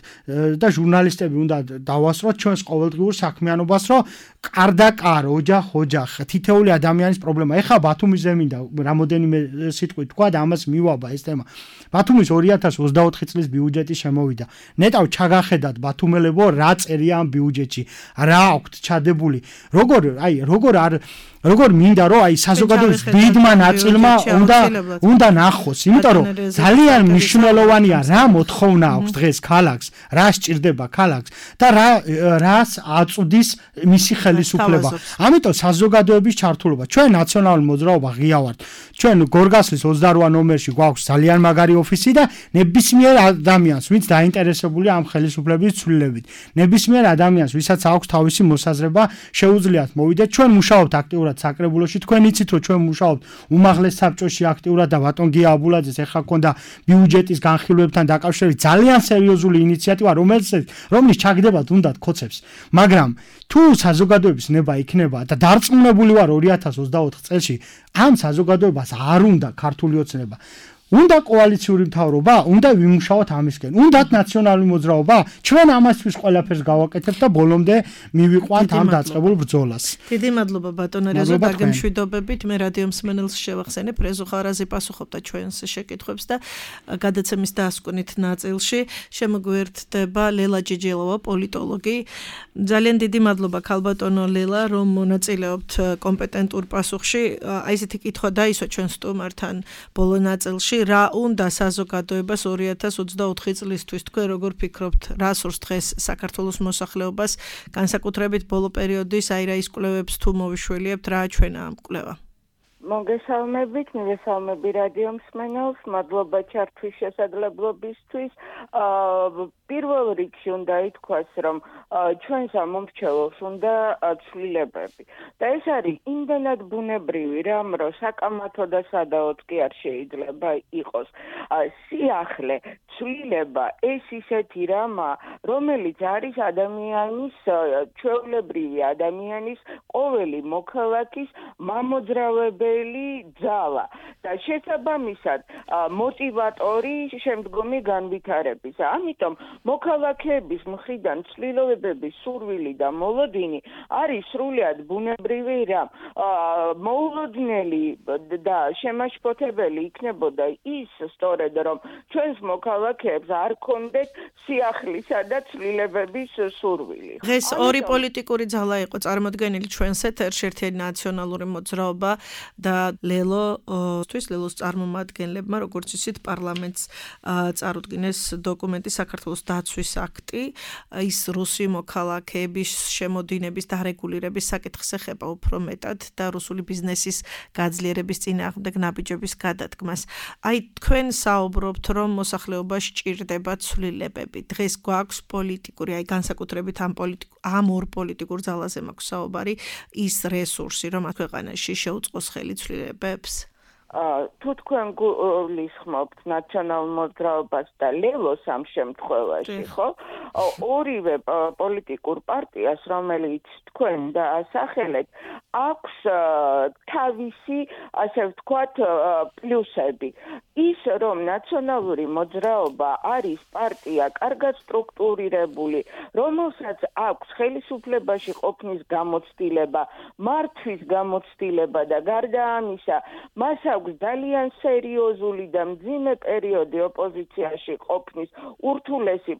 და ჟურნალისტები უნდა დავასწროთ ჩვენს ყოველდღიურ საქმიანობას, რომ კარდაკარ, ოჯახ, თითეული ადამიანის პრობლემა. ეხლა ბათუმის მინდა რამოდენიმე სიტყვით თქვა და ამას მივაბა ეს თემა. ბათუმის 2024 წლის ბიუჯეტი შემოვიდა. ნეტავ ჩაგახედათ ბათუმელებო რა წერია ამ ბიუჯეტში. რა აქვთ ჩადებული. როგორ მინდა რომ აი საზოგადოების დიდმა ნაწილმა უნდა ნახოს, იმიტომ რომ ძალიან მნიშვნელოვანია რა მოთხოვნა აქვს დღეს ქალაქს, რა სჭირდება ქალაქს და რას აწვდის მისი ხელისუფლება. ამიტომ საზოგადოების ჩართულობა. ჩვენ ნაციონალური მოძრაობა ღია ვართ. ჩვენ გორგასლის 28 ნომერში გვაქვს ძალიან მაგარი ოფისი და ნებისმიერ ადამიანს, ვინც დაინტერესებულია ამ ხელისუფლების ცვლილებით, ნებისმიერ ადამიანს, ვისაც აქვს თავისი მოსაზრება, შეუძლიათ მოვიდეთ. ჩვენ მუშაობთ აქტიურად საკრებულოში თქვენ იცით რომ ჩვენ მუშაობთ უმაღლეს საბჭოში აქტიურად და ბატონ გია აბულაძეს ეხლა ქონდა ბიუჯეტის განხილვებთან დაკავშირებით ძალიან სერიოზული ინიციატივა რომლის ჩაგდებათ უნდათ კოცებს მაგრამ თუ საზოგადოების ნება იქნება და დარწმუნებული ვარ 2024 წელში ამ საზოგადოებას არ უნდა ქართული ოცნება უნდა კოალიციური მთავრობა, უნდა ვიმუშაოთ ამისკენ. უნდათ ნაციონალური მოძრაობა, ჩვენ ამასთვის ყველაფერს გავაკეთებთ და ბოლომდე მივიყვანთ ამ დაწყებულ ბრძოლას. დიდი მადლობა ბატონო რეზო დაგემშვიდობებით. მე რადიო მსმენელს შევახსენებ, რეზო ხარაზი პასუხობდა ჩვენს შეკითხვებს და გადაცემის დასკვნით ნაწილში შემოგვერთდება ლელა ჯეჯელოვა, პოლიტოლოგი. ძალიან დიდი მადლობა ქალბატონო ლელა, რომ მონაწილეობთ კომპეტენტურ პასუხში. აი ესეთი კითხვა დაისვა ჩვენ სტუმართან ბოლო ნაწილში. რა უნდა საზოგადოებას 2024 წლისთვის თქვენ როგორ ფიქრობთ რა სურს დღეს საქართველოს მოსახლეობას განსაკუთრებით ბოლო პერიოდის აირაის კვლევებს თუ მოვიშველიებთ რა ჩვენა ამ კვლევა მოგესალმებით, მივესალმები რადიო მსმენელს, მადლობა ჩართვის შესაძლებლობისთვის. პირველ რიგში უნდა ითქვას, რომ ჩვენს ამომრჩეველს უნდა ცვლილებები. და ეს არის იმდენად ბუნებრივი რამ, რომ საკამათო და სადაოდ კი არ შეიძლება იყოს. სიახლე, ცვლილება, ეს ისეთი რამა, რომელიც არის ადამიანის, ჩვეულებრივი ადამიანის, ყოველი მოქალაქის მამოძრავებელი ძალა და შესაბამისად მოტივატორი შემდგომი განვითარების. ამიტომ მოქალაქეების მხრიდან ცვლილებების სურვილი და მოლოდინი არის სრულიად ბუნებრივი რამ. მოულოდნელი და შემაშფოთებელი იქნებოდა ის სწორედ რომ ჩვენს მოქალაქეებს არ ქონდეთ სიახლისა და ცვლილებების სურვილი. დღეს ორი პოლიტიკური ძალა იყო წარმოდგენილი ჩვენს ეთერში, ერთი ნაციონალური მოძრაობა და ლელოს წარმომადგენლებმა, როგორც ისეთ პარლამენტს წარუდგინეს დოკუმენტი საქართველოს დაცვის აქტი, ის რუსი მოქალაქეების შემოდინების დარეგულირების საკითხს ეხება უფრო მეტად და რუსული ბიზნესის გაძლიერების წინააღმდეგ ნაბიჯების გადადგმას. აი თქვენ საუბრობთ, რომ მოსახლეობას სჭირდება ცვლილებები. დღეს გვაქვს პოლიტიკური, აი განსაკუთრებით ამ ორ პოლიტიკურ ძალაზე მაქვს საუბარი, ის რესურსი, რომ ქვეყანაში შეუწყოს ხელი ცვლილებებს. თუ თქვენ გულისხმობთ ნაციონალურ მოძრაობას და ლელოს ამ შემთხვევაში, ხო? ორივე პოლიტიკურ პარტიას, რომელიც თქვენ დაასახელეთ, აქვს თავისი, ასე ვთქვათ, პლუსები. ის, რომ ნაციონალური მოძრაობა არის პარტია კარგად სტრუქტურირებული, რომელსაც აქვს ხელისუფლებაში ყოფნის გამოცდილება, მართვის გამოცდილება და გარდა ამისა, მას აქვს ძალიან სერიოზული და მძიმე პერიოდი ოპოზიციაში ყოფნის ურთულესი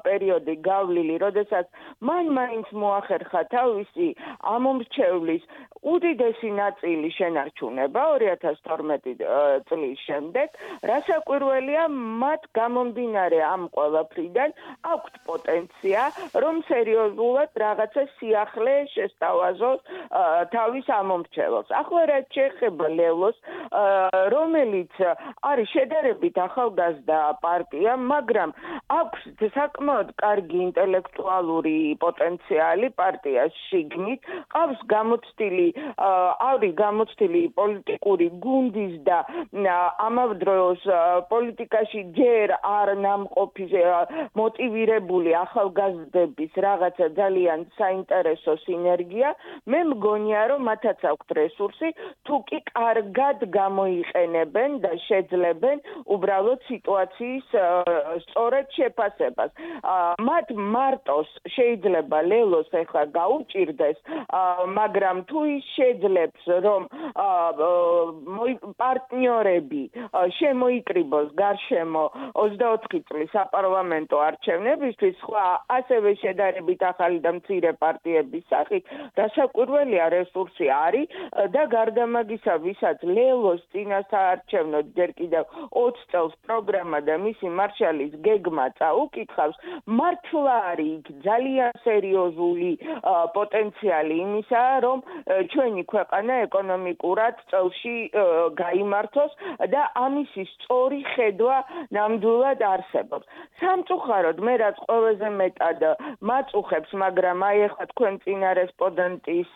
პერიოდი გავლილი, როდესაც მან მაინც მოახერხა თავისი ამომრჩევლის უდიდესი ნაწილი შენარჩუნება 2012 წლის შემდეგ, რასაკვირველია, მათ გამომდინარე ამ ყველაფრიდან აქვთ პოტენცია, რომ სერიოზულად რაღაცა სიახლე შესთავაზოს თავის ამომრჩეველს. ახლა რაც შეეხება ლელოს რომელიც არის შედარებით ახალგაზრდა პარტია, მაგრამ აქვს საკმაოდ კარგი ინტელექტუალური პოტენციალი პარტიას შიგნით, ყავს გამოცდილი პოლიტიკური გუნდის და ამავე დროს პოლიტიკაში ჯერ არ ნამყოფი მოტივირებული ახალგაზრდების რაღაცა ძალიან საინტერესო სინერგია. მე მგონია, რომ მათაც აქვთ რესურსი, თუ კი კარგად გამოიყენებენ და შეძლებენ უბრალოდ სიტუაციის სწორედ შეფასებას. მათ მარტოს შეიძლება ლელოს ახლა გაუჭირდეს, მაგრამ თუ ის შეძლებს, რომ პარტნიორები შემოიკრიბოს გარშემო 24 წლის საპარლამენტო არჩევნებისთვის, სხვა ასევე შედარებით ახალი და მცირე პარტიების სახით, რასაკვირველია რესურსი არის და გარდა მაგისა, ვისაც ლელოს წინასაარჩევნო ჯერ კიდევ 20 წელს პროგრამა და მისი მარშალის გეგმა წაუკითხავს, მართლა არის იქ ძალიან სერიოზული პოტენციალი იმისა, რომ ჩვენი ქვეყანა ეკონომიკურად წელში გაიმართოს და ამისი სწორი ხედვა ნამდვილად არსებობს. სამწუხაროდ მე რაც ყველაზე მეტად მაწუხებს, მაგრამ აი ახლა თქვენ წინა რესპონდენტის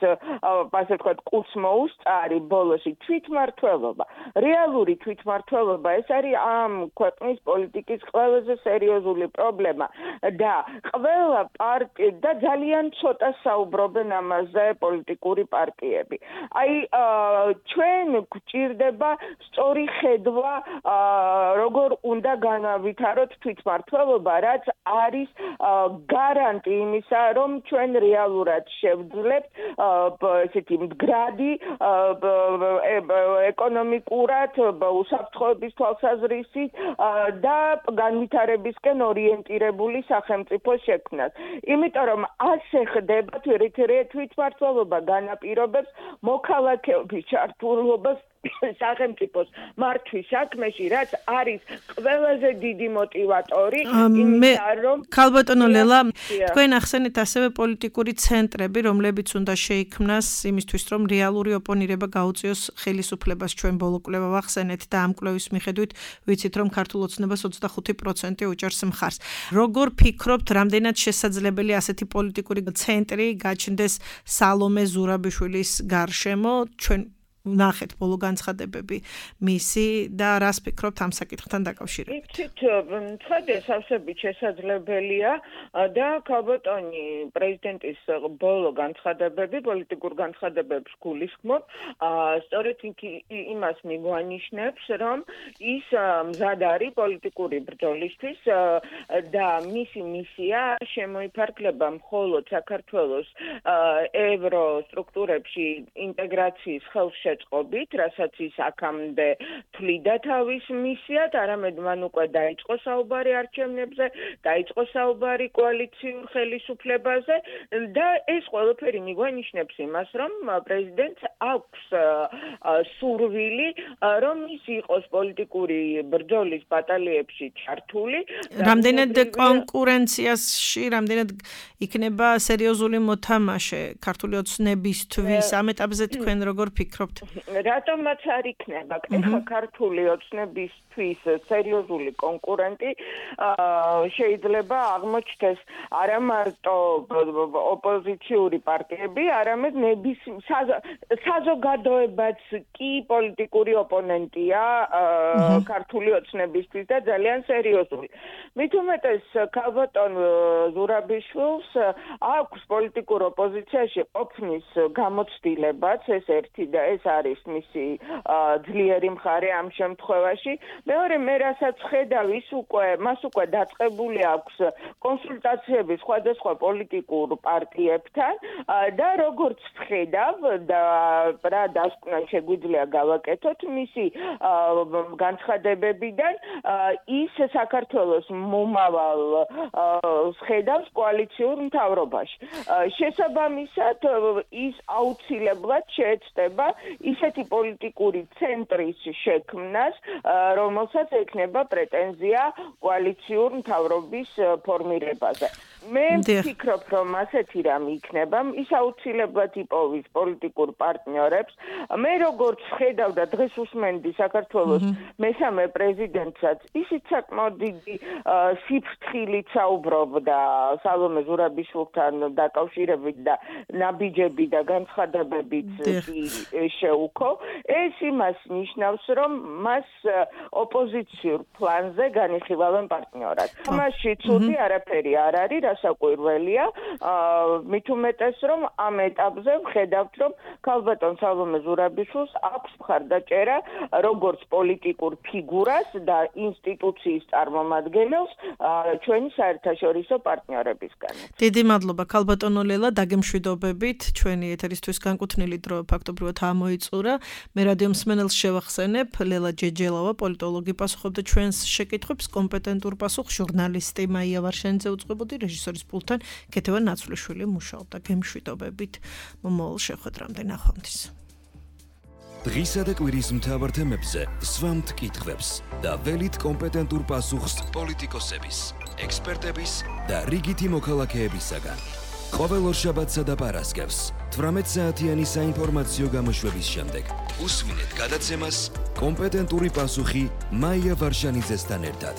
ასე ვთქვათ კურს მოუსწარი ბოლოსი თვითმმართველობა. რეალური თვითმმართველობა ეს არის ამ ქვეყნის პოლიტიკის ყველაზე სერიოზული პრობლემა და ყველა პარტია და ძალიან ცოტა საუბრობენ ამაზე პოლიტიკური პარტიები. აი ჩვენ გვჭირდება სწორი ხედვა როგორ უნდა განავითაროთ თვითმმართველობა, რაც არის გარანტი იმისა, რომ ჩვენ რეალურად შევძლებთ ესეთი მდგრადი ეკონომიკურად უსაფრთხოების თვალსაზრისით და განვითარებისკენ ორიენტირებული სახელმწიფო შექმნას. იმიტომ რომ ასე ხდება თვითმმართველობა განაპირობებს მოქალაქეობის ჩართულობას სახელმწიფოს მართვის საქმეში, რაც არის ყველაზე დიდი მოტივატორი იმისა, რომ ქალბატონო ლელა, თქვენ ახსენეთ ასევე პოლიტიკური ცენტრები, რომლებიც უნდა შეიქმნას იმისთვის, რომ რეალური ოპონირება გაუწიოს ხელისუფლებას. ჩვენ ბოლო კვლევა ვახსენეთ და ამ კვლევის მიხედვით ვიცით, რომ ქართულ ოცნებას 25% უჭერს მხარს. როგორ ფიქრობთ, რამდენად შესაძლებელია ასეთი პოლიტიკური ცენტრი გაჩნდეს სალომე ზურაბიშვილის გარშემო? ჩვენ ნახეთ ბოლო განცხადებები მისი და რას ფიქრობთ ამ საკითხთან დაკავშირებით? იცით, ცხადია სავსებით შესაძლებელია და ქალბატონი პრეზიდენტის ბოლო განცხადებები, პოლიტიკურ განცხადებებს გულისხმობ, სწორედ იმას მიგვანიშნებს, რომ ის მზად არის პოლიტიკური ბრძოლისთვის და მისი მისია შემოიფარგლება მხოლოდ საქართველოს ევროსტრუქტურებში ინტეგრაციის ხელშეწყობით, რასაც ის აქამდე თვლიდა თავის მისიად, არამედ მან უკვე დაიწყო საუბარი არჩევნებზე, დაიწყო საუბარი კოალიციურ ხელისუფლებაზე და ეს ყველაფერი მიგვანიშნებს იმას, რომ პრეზიდენტს აქვს სურვილი, რომ ის იყოს პოლიტიკური ბრძოლის ბატალიებში ჩართული. რამდენად კონკურენციაში, რამდენად იქნება სერიოზული მოთამაშე ქართული ოცნებისთვის, ამ ეტაპზე თქვენ როგორ ფიქრობთ? რატომაც არ იქნება? ეხლა ქართული ოცნებისთვის სერიოზული კონკურენტი შეიძლება აღმოჩნდეს არა მარტო ოპოზიციური პარტიები, არამედ საზოგადოებაც კი პოლიტიკური ოპონენტია ქართული ოცნებისთვის და ძალიან სერიოზული. მით უმეტეს ქალბატონ ზურაბიშვილს აქვს პოლიტიკურ ოპოზიციაში ყოფნის გამოცდილებაც, ეს ერთი და ეს არის მისი ძლიერი მხარე ამ შემთხვევაში. მეორე მე რასაც ხედავ, მას უკვე დაწყებული აქვს კონსულტაციები სხვადასხვა პოლიტიკურ პარტიებთან და როგორც ხედავ და რა დასკვნა შეგვიძლია გავაკეთოთ მისი განცხადებებიდან, ის საქართველოს მომავალ ხედავს კოალიციურ მთავრობაში. შესაბამისად ის აუცილებლად შეეცდება ისეთი პოლიტიკური ცენტრის შექმნას, რომელსაც ექნება პრეტენზია კოალიციურ მთავრობის ფორმირებაზე. მე ვფიქრობ, რომ ასეთი რამ იქნება, ის აუცილებლად იპოვის პოლიტიკურ პარტნიორებს. მე როგორც ხედავ და დღეს უსმენდი საქართველოს მესამე პრეზიდენტსაც, ისიც საკმაოდ დიდი სიფრთხილით საუბრობდა სალომე ზურაბიშვილთან დაკავშირებით და ნაბიჯები და განცხადებებით შეუქო. ეს იმას ნიშნავს, რომ მას ოპოზიციურ პლანზე განიხილავენ პარტნიორად. მასში ცუდი არაფერი არ არის, რასაკვირველია, მით უმეტეს, რომ ამ ეტაპზე ვხედავთ, რომ ქალბატონ სალომე ზურაბიშვილს აქვს მხარდაჭერა როგორც პოლიტიკურ ფიგურას და ინსტიტუციის წარმომადგენელს ჩვენი საერთაშორისო პარტნიორებისგან. დიდი მადლობა ქალბატონო ლელა, დაგემშვიდობებით. ჩვენი ეთერისთვის განკუთვნილი დრო ფაქტობრივად ამოიწურა. მე რადიო მსმენელს შევახსენებ, ლელა ჯეჯელავა, პოლიტოლოგი პასუხობდა ჩვენს შეკითხვებს, კომპეტენტურ პასუხს ჟურნალისტი მაია ვარშენიძე უწყებოდი, რეჟისორის პულტთან ქეთევან ნაცვლიშვილი მუშაობდა. გემშვიდობებით. მომავალ შეხვედრამდე ნახვამდის. დღისა და კვირის მთავარ თემებზე სვამთ კითხვებს და ველით კომპეტენტურ პასუხს პოლიტიკოსების, ექსპერტების და რიგითი მოქალაქეებისაგან. ყოველ ორშაბათსა და პარასკევს 18 საათიანი საინფორმაციო გამოშვების შემდეგ უსვინეთ გადაცემას კომპეტენტური პასუხი მაია ვარშანიძესთან ერთად.